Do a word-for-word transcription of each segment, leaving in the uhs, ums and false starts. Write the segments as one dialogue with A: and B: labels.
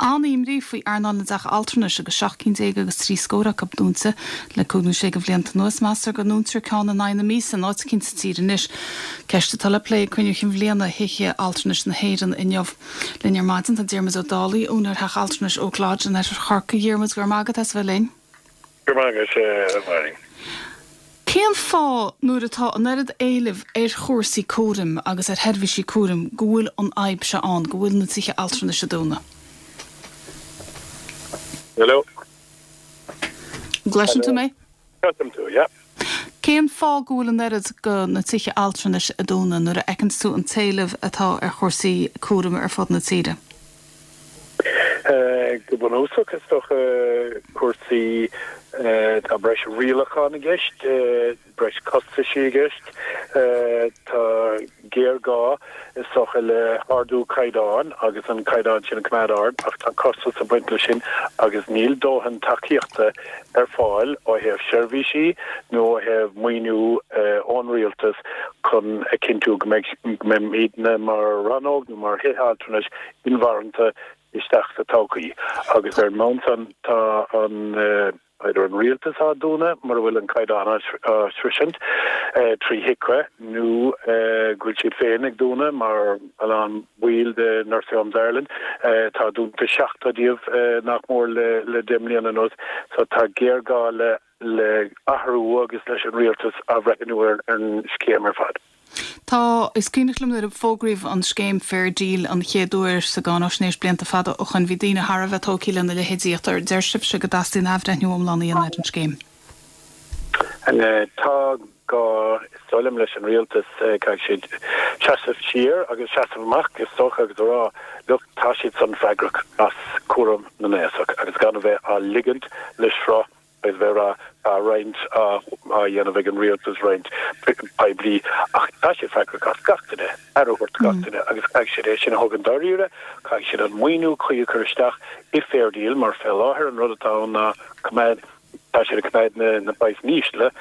A: an-imní faoi earnáil na dteach altranais agus seacht gcinn déag agus trí scór acu dúnta le cúig nó sé de bhlianta anuas. Meastar go ndúntar ceann in aghaidh na míosa in áit éicint sa tír anois. Ceist atá le plé ag cruinniú chinn bhliana Thithe Altranais na hÉireann inniu. Linn ar maidin tá Diarmuid Ó Dálaigh, úinéir Theach Altranais Oak Lodge in oirthear Chorcaí. Diarmuid, go raibh maith agat as bheith linn.
B: Go raibh maith agat, a Mháirín.
A: Cén fáth nuair atá an oiread éilimh ar chúrsaí cúraim agus ar sheirbhísí cúraim go bhfuil an fhadhb seo ann, go bhfuil na tithe altranais ag dúnadh?
B: Hello?
A: Gcloiseann tú mé?
B: Cloisim tú, yeah.
A: Cén fáth go bhfuil an oiread de na tithe altranais ag dúnadh nuair a fheiceann tú an t-éileamh atá ar chúrsaí cúraim ar fud na tíre?
B: Go bunúsach is dócha cúrsaí tá breis rialachán i gceist, breis costaisí i gceist, tá géarghá is dócha le hardú caighdeáin agus an caighdeán sin a choimeád ard ach tá costas ag baint leis sin agus níl dóthain tacaíochta ar fáil ó thaobh seirbhísí nó ó thaobh maoiniú ón rialtas chun a chinntiú go mbeidh go mbeimidne mar rannóg nó mar thithe altranais inmharthana isteach sa todhchaí agus ar an mbonn san tá an idir an rialtas á dúnadh mura bhfuil an caighdeán á sroisint trí HIQA nó go bhfuil siad féin ag dúnadh mar a lán baill de Nursing Homes Ireland tá dúnta seachtó díobh nach mór le le deich mbliana anuas so tá géarghá le le athrú agus leis an rialtas athbhreithniú ar an scéim ar fad.
A: Tá is cuimhneach liom nuair a fógraíodh an scéim Fair Deal an chéad uair sa gcáinaisnéis blianta fada ó shin bhí daoine thar a bheith tógtha lena leithéidí ach deir sibhse go dteastaíonn athbhreithniú iomlán a dhéanamh ar an scéim.
B: Tá gá is dóigh liom leis an rialtas caithfidh siad seasamh siar agus seasamh amach is dócha agus a rá look tá siad san freagrach as cúram na n-aosach agus gan a bheith á ligint le sruth agus bheith rá tá roinnt á dhéanamh ag an rialtas roinnt poiblí ach tá siad freagrach as gach duine aire a thabhairt gach duine agus caithfidh siad é sin a thógaint dáiríre, caithfidh siad an maoiniú cuí a chur isteach i Fair Deal mar fé láthair an rud atá ann ná coimeád tá siad ag coimeád na na praghas ísle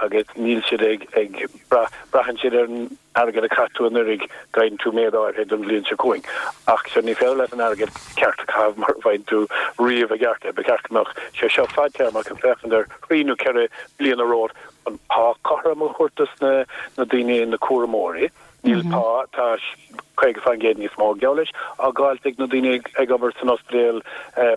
B: agus níl siad ag ag braitheann siad ar an airgead a chaith tú anuraidh faigheann tú méid áirithe don bhliain seo chugainn. Ach seo ní féidir leat an airgead ceart a chaitheamh mar a bhfaigheann tú riamh i gceart é. Ba cheart go mbeadh sé seo fadtéarmach ag féachaint ar thrí nó ceithre bliana romhat an pá cothrom a thabhairt dos na na daoine na cúramóirí. Níl pá tá caoga faoin gcéad níos mó geall leis á gcaillt ag na daoine ag obair san ospidéal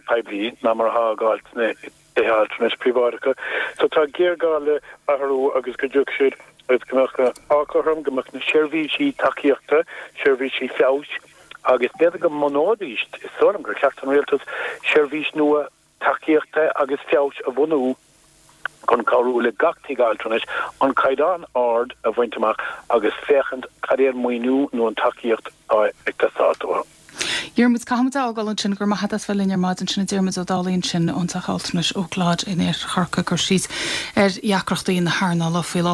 B: poiblí ná mar atá á gcaillt sna tithe altranais príobháideacha. So tá géarghá le athrú agus go dtiocfaidh siad agus go mbeadh pá cothrom, go mbeadh na seirbhísí tacaíochta, seirbhísí feabhais agus b'fhéidir go mbunóidís, is dóigh liom gur cheart don rialtas seirbhís nua tacaíochta agus feabhais a bhunú chun cabhrú le gach tigh altranais an caighdeán ard a bhaint amach agus féachaint cad é an maoiniú nó an tacaíocht atá ag teastáil uathu.
A: Diarmuid caithfimid a fhágáil ansin go raibh maith agat as bheith linn ar maidin sin a Diarmuid Ó Dálaigh ansin ón Teach Altranais Oak Lodge in Oirthear Chorcaí ag cur síos ar dheacrachtaí na hearnála faoi láthair.